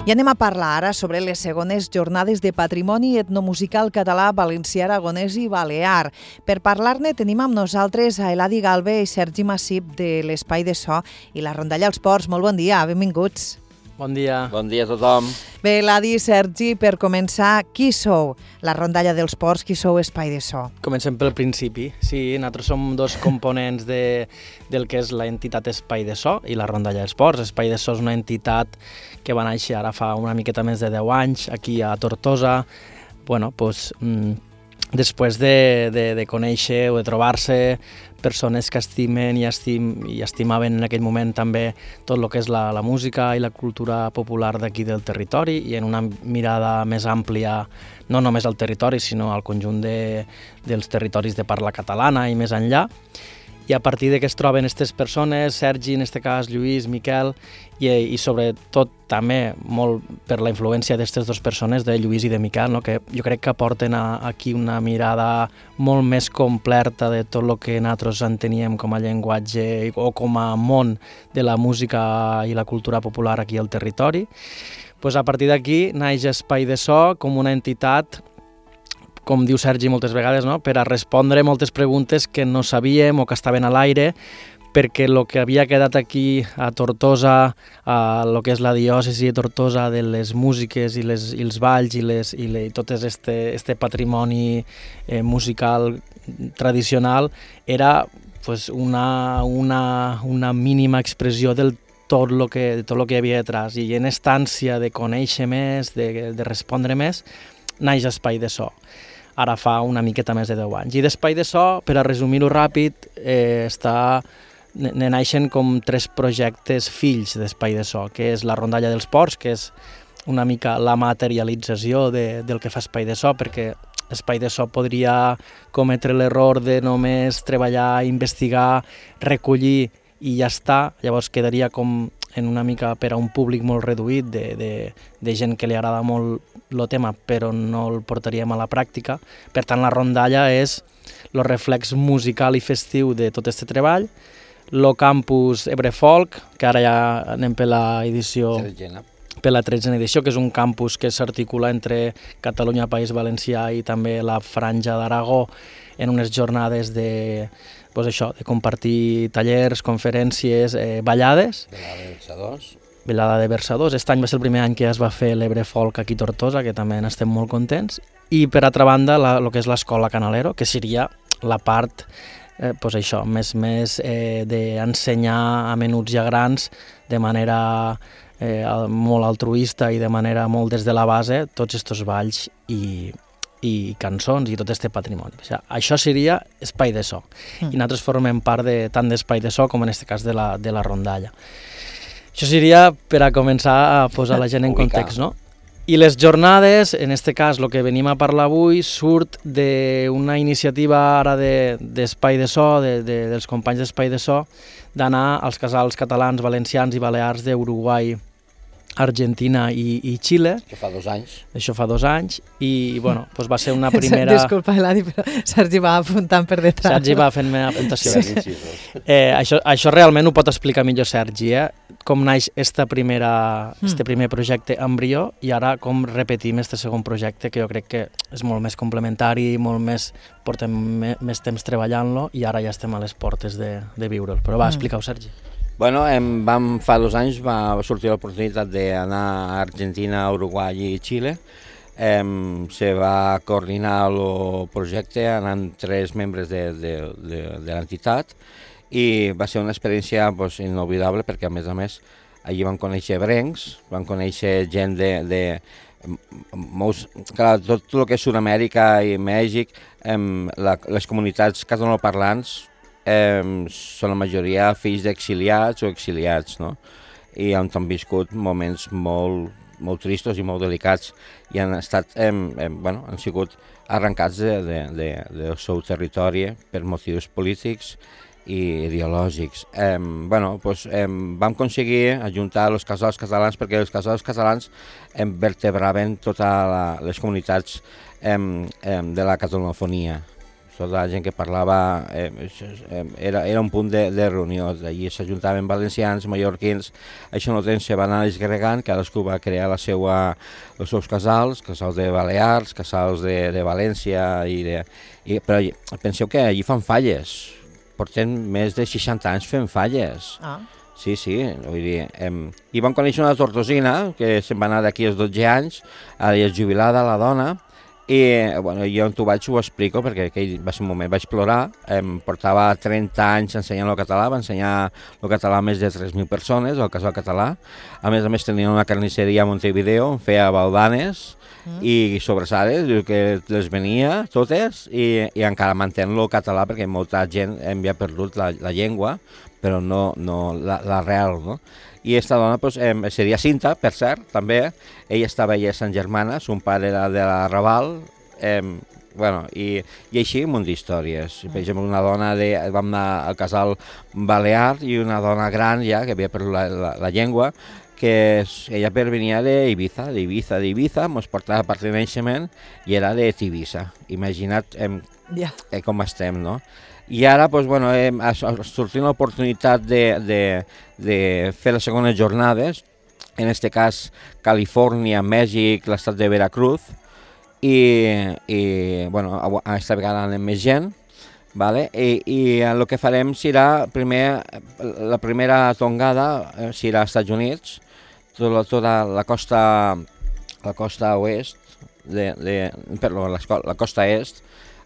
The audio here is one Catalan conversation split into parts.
I anem a parlar ara sobre les segones jornades de patrimoni etnomusical català, valencià, aragonès i balear. Per parlar-ne tenim amb nosaltres a Eladi Galve i Sergi Massip de l'Espai de So i la Rondalla als Ports. Molt bon dia, benvinguts. Bon dia. Bon dia a tothom. Bé, Eladi i Sergi, per començar, qui sou la Rondalla dels Ports, qui sou Espai de So? Comencem pel principi. Sí, nosaltres som dos components del que és l'entitat Espai de So i la Rondalla dels Ports. Espai de So és una entitat que va néixer ara fa una miqueta més de 10 anys aquí a Tortosa. Bueno, doncs, després de conèixer o de trobar-se persones que estimen i estimaven en aquell moment també tot el que és la música i la cultura popular d'aquí del territori i en una mirada més àmplia, no només al territori, sinó al conjunt dels territoris de parla catalana i més enllà. I a partir de que es troben aquestes persones, Sergi, en aquest cas, Lluís, Miquel, i sobretot també molt per la influència d'aquestes dues persones, de Lluís i de Miquel, no? Que jo crec que aporten aquí una mirada molt més completa de tot el que nosaltres enteníem com a llenguatge o com a món de la música i la cultura popular aquí al territori. Pues a partir d'aquí naix Espai de So com una entitat, com diu Sergi moltes vegades, no? Per a respondre moltes preguntes que no sabíem o que estaven a l'aire, perquè el que havia quedat aquí a Tortosa, el que és la diòcesi de Tortosa, de les músiques i els balls i tot este patrimoni musical tradicional, era pues, una mínima expressió de tot el que hi havia detrás. I en esta ànsia de conèixer més, de respondre més, naix Espai de So. Ara fa una miqueta més de 10 anys. I d'Espai de So, per a resumir-ho ràpid, ne naixen com 3 projectes fills d'Espai de So, que és la Rondalla dels Ports, que és una mica la materialització del que fa Espai de So, perquè Espai de So podria cometre l'error de només treballar, investigar, recollir i ja està, llavors quedaria com en una mica per a un públic molt reduït de gent que li agrada molt el tema però no el portaríem a la pràctica. Per tant, la rondalla és el reflex musical i festiu de tot aquest treball, el campus Ebrefolk, que ara ja anem per la edició, per la 13a edició, que és un campus que s'articula entre Catalunya, País Valencià i també la Franja d'Aragó en unes jornades de compartir tallers, conferències, ballades. Velada de versadors. Aquest any va ser el primer any que es va fer l'Ebrefolk aquí a Tortosa, que també n'estem molt contents. I per altra banda, el que és l'escola Canalero, que seria la part més d'ensenyar a menuts i a grans de manera molt altruista i de manera molt des de la base tots aquests balls i cançons i tot aquest patrimoni. O sigui, això seria Espai de So. I nosaltres formem part tant d'Espai de So com en aquest cas de la rondalla. Això seria per a començar a posar la gent en context, no? I les jornades, en aquest cas, el que venim a parlar avui, surt d'una iniciativa ara d'Espai de So, dels companys d'Espai de So, d'anar als casals catalans, valencians i balears d'Uruguai, Argentina i Xile. Això fa 2 anys. Això fa 2 anys i bueno, doncs va ser una primera... Disculpa, Eladi, però Sergi va apuntant per detrás. Sergi va fent-me apuntacions. Sí. Això realment ho pot explicar millor Sergi, com naix este primer projecte embrió i ara com repetim este segon projecte, que jo crec que és molt més complementari, portem més temps treballant-lo i ara ja estem a les portes de viure'l. Però va, explica-ho, Sergi. Bueno, fa 2 anys va sortir l'oportunitat d'anar a Argentina, Uruguai i Xile. Se va coordinar el projecte anant 3 membres de l'entitat i va ser una experiència inolvidable perquè, a més, allí van conèixer ebrencs, van conèixer gent tot el que és Sud-amèrica i Mèxic, les comunitats catalanoparlants són la majoria fills d'exiliats o exiliats, no? I han viscut moments molt tristos i molt delicats i han sigut arrencats del seu territori per motius polítics i ideològics. Vam aconseguir ajuntar els casals catalans perquè els casals catalans vertebraven totes les comunitats de la catalanofonia. tota la gent que parlava, era un punt de reunió. Allí s'ajuntaven valencians, mallorquins, això no temps se va anar desgregant, cadascú va crear els seus casals de Balears, casals de València, però penseu que allí fan falles, portem més de 60 anys fent falles. Sí, vull dir, i vam conèixer una tortosina que se'n va anar d'aquí als 12 anys, ara ja és jubilada la dona, i bueno, jo on ho explico perquè aquell va ser un moment, vaig plorar, portava 30 anys ensenyant el català, va ensenyar el català a més de 3.000 persones, el casal català, a més tenia una carnisseria a Montevideo, on feia baldanes i sobrassades, que les venia totes i encara mantenen el català perquè molta gent havia perdut la llengua, però no l'arrel, no? I aquesta dona seria Cinta, per cert, també. Ella estava allà a Sant Germana, son pare era de la Raval, i així un munt d'històries. Per exemple, una dona, vam anar al casal balear i una dona gran ja, que havia perdut la llengua, que ella venia d'Ibiza, ens portava part de naixement i era de Tivissa. Imagina't com estem, no? I ara ha sortit l'oportunitat de fer les segones jornades, en aquest cas Califòrnia, Mèxic, l'estat de Veracruz, i aquesta vegada anem més gent, i el que farem serà, la primera tongada serà als Estats Units, tota la costa oest, la costa est,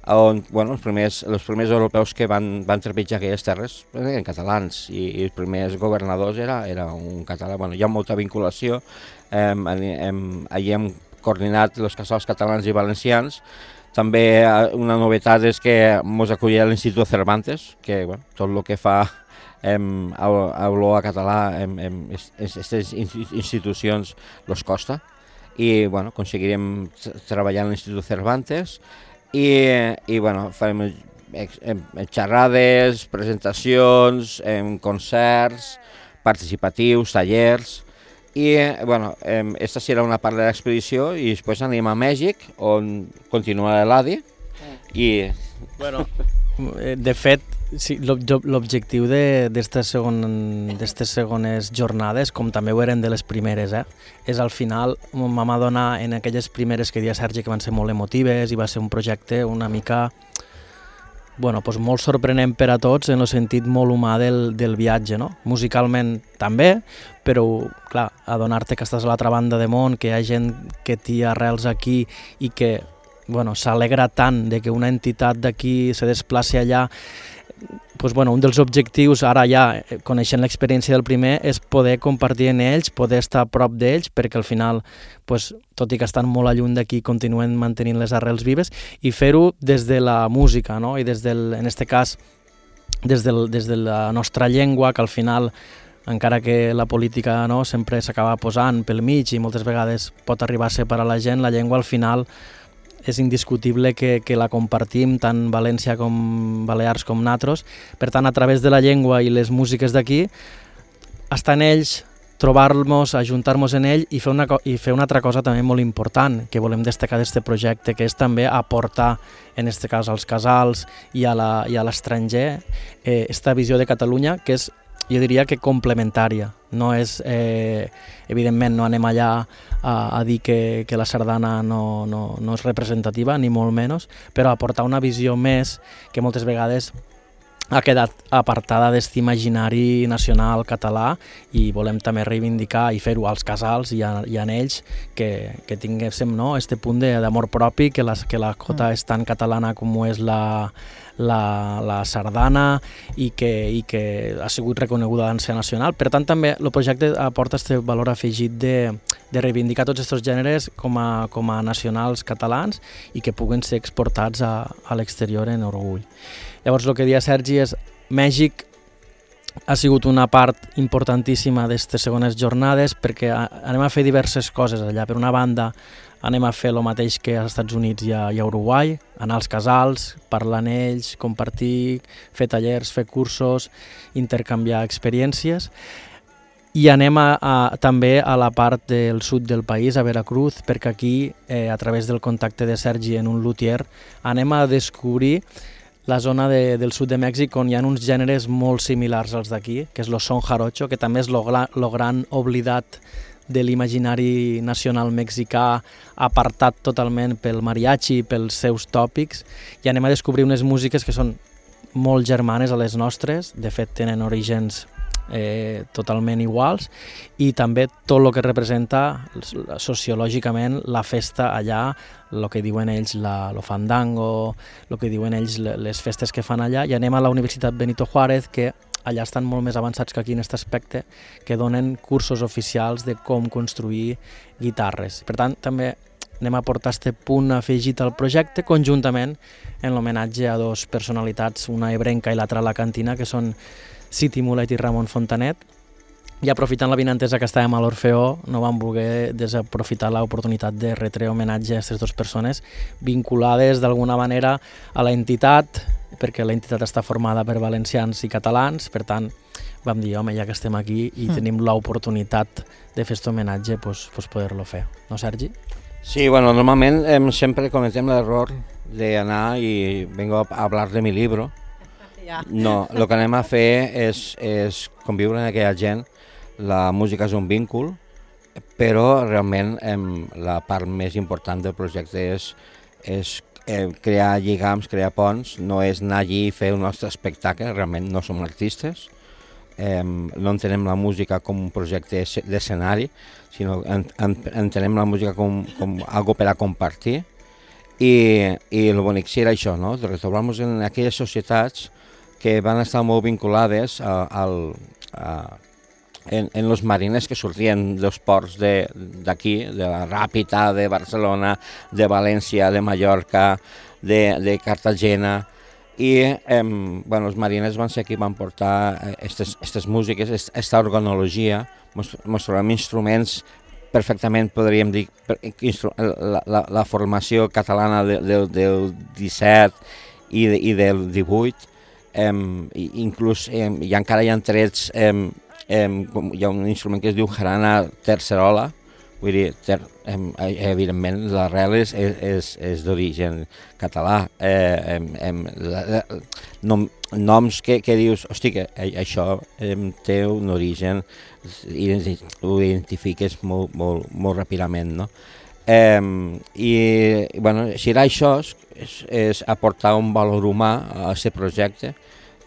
on els primers europeus que van trepitjar aquelles terres eren catalans i els primers governadors era un català. Hi ha molta vinculació, allí hem coordinat els casals catalans i valencians. També una novetat és que ens acollia l'Institut Cervantes, que tot el que fa olor a català, aquestes institucions els costa, i aconseguirem treballar en l'Institut Cervantes, i farem xerrades, presentacions, concerts, participatius, tallers, i aquesta serà una part de l'expedició i després anem a Mèxic, on continua l'ADI. De fet, sí, l'objectiu d'aquestes segones jornades, com també ho eren de les primeres, és al final vam adonar en aquelles primeres que deia Sergi que van ser molt emotives i va ser un projecte una mica molt sorprenent per a tots en el sentit molt humà del viatge, no? Musicalment també, però clar, adonar-te que estàs a l'altra banda del món, que hi ha gent que té arrels aquí i que s'alegra tant de que una entitat d'aquí se desplaci allà. Un dels objectius, ara ja coneixent l'experiència del primer, és poder compartir amb ells, poder estar a prop d'ells, perquè al final, tot i que estan molt lluny d'aquí, continuen mantenint les arrels vives, i fer-ho des de la música, no? I en aquest cas, des de la nostra llengua, que al final, encara que la política sempre s'acaba posant pel mig i moltes vegades pot arribar a separar la gent, la llengua al final és indiscutible que la compartim tant València com Balears com nosaltres. Per tant, a través de la llengua i les músiques d'aquí, estar en ells, trobar-nos, ajuntar-nos en ell i fer una altra cosa també molt important que volem destacar d'aquest projecte, que és també aportar, en aquest cas als casals i a l'estranger, aquesta visió de Catalunya que és, jo diria que complementària. No és, evidentment, no anem allà a dir que la sardana no és representativa, ni molt menys, però aportar una visió més que moltes vegades ha quedat apartada d'aquest imaginari nacional català i volem també reivindicar i fer-ho als casals i en ells que tinguéssim aquest punt d'amor propi, que la cota és tan catalana com ho és la sardana i que ha sigut reconeguda dansa nacional. Per tant, també el projecte aporta aquest valor afegit de reivindicar tots aquests gèneres com a nacionals catalans i que puguen ser exportats a l'exterior en orgull. Llavors, el que deia Sergi és Mèxic ha sigut una part importantíssima d'aquestes segones jornades perquè anem a fer diverses coses allà. Per una banda, anem a fer el mateix que als Estats Units i a Uruguai, anar als casals, parlar amb ells, compartir, fer tallers, fer cursos, intercanviar experiències. I anem també a la part del sud del país, a Veracruz, perquè aquí, a través del contacte de Sergi en un luthier, anem a descobrir la zona del sud de Mèxic, on hi ha uns gèneres molt similars als d'aquí, que és el son jarocho, que també és el gran oblidat de l'imaginari nacional mexicà, apartat totalment pel mariachi, pels seus tòpics, i anem a descobrir unes músiques que són molt germanes a les nostres, de fet tenen orígens totalment iguals, i també tot el que representa sociològicament la festa allà, el que diuen ells lo fandango, el que diuen ells les festes que fan allà, i anem a la Universitat Benito Juárez, que allà estan molt més avançats que aquí en aquest aspecte, que donen cursos oficials de com construir guitarres. Per tant, també anem a portar aquest punt afegit al projecte, conjuntament en l'homenatge a dos personalitats, una ebrenca i l'altra alacantina, que són City Mulet i Ramon Fontanet, i aprofitant l'avinentesa que estàvem a l'Orfeó, no vam voler desaprofitar l'oportunitat de retre homenatge a aquestes dues persones vinculades d'alguna manera a l'entitat, perquè l'entitat està formada per valencians i catalans, per tant vam dir, home, ja que estem aquí i tenim l'oportunitat de fer aquest homenatge, doncs poder-lo fer. No, Sergi? Sí, bueno, normalment sempre cometem l'error d'anar i vengo a hablar de mi libro. No, el que anem a fer és conviure amb aquella gent. La música és un víncul, però realment la part més important del projecte és crear lligams, crear ponts, no és anar allí i fer un nostre espectacle, realment no som artistes, no entenem la música com un projecte d'escenari, sinó entenem la música com algo per a compartir, i el bonic serà això, no? De retrobar-nos en aquelles societats que van estar molt vinculades en los marines que sortien dels ports d'aquí, de la Ràpita, de Barcelona, de València, de Mallorca, de Cartagena, i els marines van ser qui van portar aquestes músiques, aquesta organologia, ens trobem instruments perfectament, podríem dir, la formació catalana del 17 i del 18, inclús encara hi ha trets, hi ha un instrument que es diu jarana tercerola, vull dir, evidentment l'arrel és d'origen català, noms que dius, hosti, que això té un origen i ho identifiques molt ràpidament, no? I bueno, serà això, és aportar un valor humà a aquest projecte.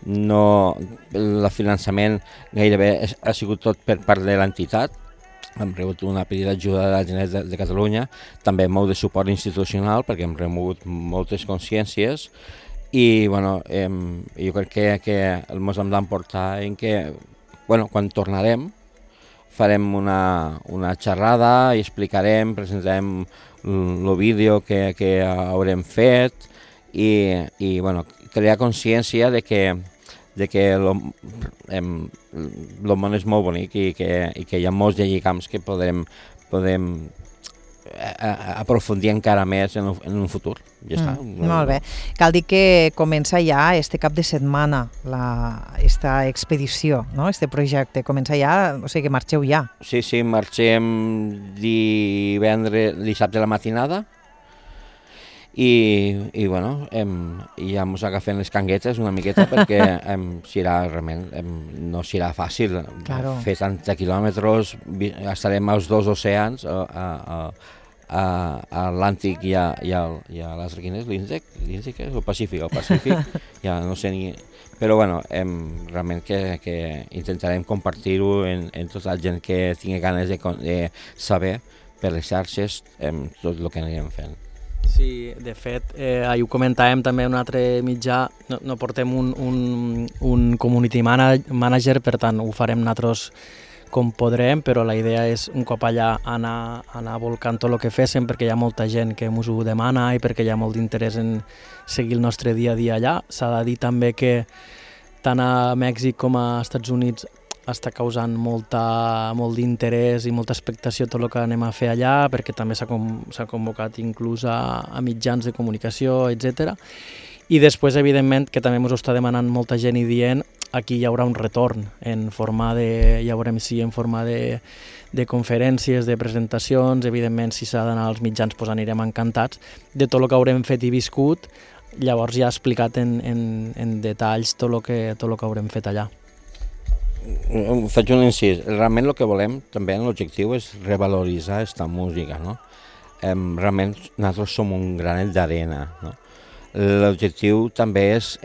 No, el finançament gairebé ha sigut tot per part de l'entitat, hem rebut una petita ajuda de la Generalitat de Catalunya, també molt de suport institucional perquè hem rebut moltes consciències, i bueno, jo crec que ens hem d'emportar en que quan tornarem farem una xerrada i explicarem, presentarem el vídeo que haurem fet i crear consciència de que el món és molt bonic i que hi ha molts lligams que podem aprofundir encara més en un futur. Ja està. Molt bé. Cal dir que comença ja este cap de setmana esta expedició, no? Este projecte comença ja, o sigui que marxeu ja. Sí, marxem dissabte a la matinada i bueno, ja ens agafem les canguetes una miqueta perquè realment no serà fàcil fer tants quilòmetres, estarem als dos oceans, a l'Atlàntic i a l'altre, quin és? L'Índic és? El Pacífic, ja no sé ni... Però bueno, realment que intentarem compartir-ho en tota la gent que tingui ganes de saber per les xarxes tot el que anirem fent. Sí, de fet, ho comentàvem també en un altre mitjà, no portem un community manager, per tant ho farem nosaltres com podrem, però la idea és un cop allà anar volcant tot el que féssim, perquè hi ha molta gent que ens ho demana i perquè hi ha molt d'interès en seguir el nostre dia a dia allà. S'ha de dir també que tant a Mèxic com a Estats Units està causant molt d'interès i molta expectació tot el que anem a fer allà, perquè també s'ha convocat inclús a mitjans de comunicació, etc. I després, evidentment, que també ens ho està demanant molta gent i dient, aquí hi haurà un retorn en forma de conferències, de presentacions, evidentment si s'ha d'anar als mitjans doncs anirem encantats de tot el que haurem fet i viscut llavors ja ha explicat en detalls tot el que haurem fet allà. Faig un incís. Realment el que volem, també l'objectiu és revaloritzar aquesta música, no? Realment nosaltres som un granet d'arena, no? L'objectiu també és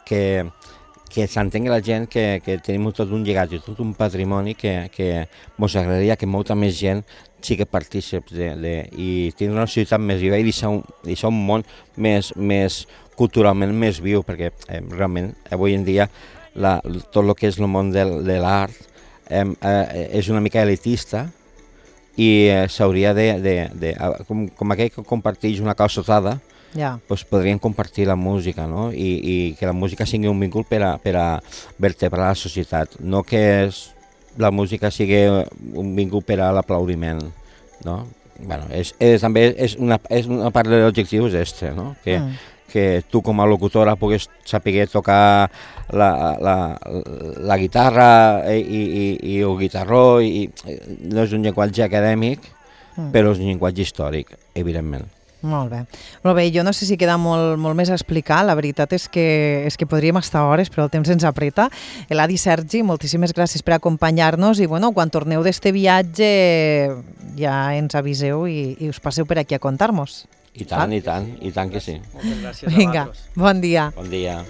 que s'entengui la gent que tenim tot un llegat i tot un patrimoni que ens agradaria que molta més gent sigui partícips i tindre una societat més viva i deixar un món més culturalment més viu, perquè realment avui en dia tot el que és el món de l'art és una mica elitista i s'hauria com aquell que comparteix una calçotada, doncs podrien compartir la música, no? I que la música sigui un vincul per a vertebrar la societat, no que la música sigui un vincul per a l'aplaudiment, no? Bueno, també és una part de l'objectiu és este, no? Que tu com a locutora puguis saber tocar la guitarra i el guitarró, no és un llenguatge acadèmic, però és un llenguatge històric, evidentment. Molt bé, jo no sé si queda molt més a explicar, la veritat és que podríem estar hores, però el temps ens apreta. Eladi, Sergi, moltíssimes gràcies per acompanyar-nos i quan torneu d'este viatge ja ens aviseu i us passeu per aquí a contar-nos. I tant que sí. Moltes gràcies a Vinga, bon dia. Bon dia.